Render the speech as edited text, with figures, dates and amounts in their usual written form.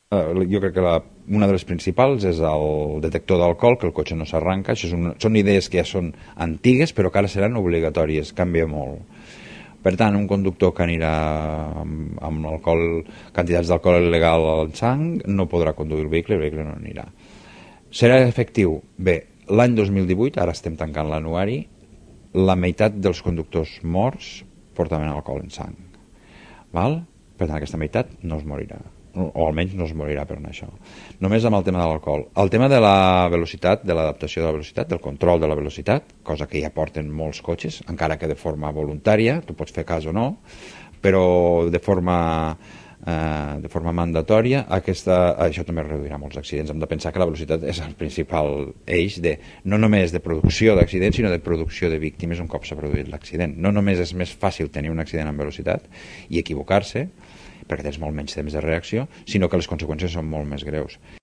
Jo crec que una de les principals és el detector d'alcohol, que el cotxe no s'arranca. Són idees que ja són antigues, però que ara seran obligatòries, canvia molt. Per tant, un conductor que anirà amb alcohol, quantitats d'alcohol il·legal al sang no podrà conduir el vehicle no anirà. Serà efectiu? Bé, l'any 2018, ara estem tancant l'anuari, la meitat dels conductors morts portaven alcohol en sang. Val? Per tant, aquesta meitat no es morirà, o almenys no es morirà per això. Només amb el tema de l'alcohol. El tema de la velocitat, de l'adaptació de la velocitat, del control de la velocitat, cosa que ja porten molts cotxes, encara que de forma voluntària, tu pots fer cas o no, però de forma mandatòria, això també reduirà molts accidents. Hem de pensar que la velocitat és el principal eix no només de producció d'accidents, sinó de producció de víctimes un cop s'ha produït l'accident. No només és més fàcil tenir un accident amb velocitat i equivocar-se, perquè tens molt menys temps de reacció, sinó que les conseqüències són molt més greus.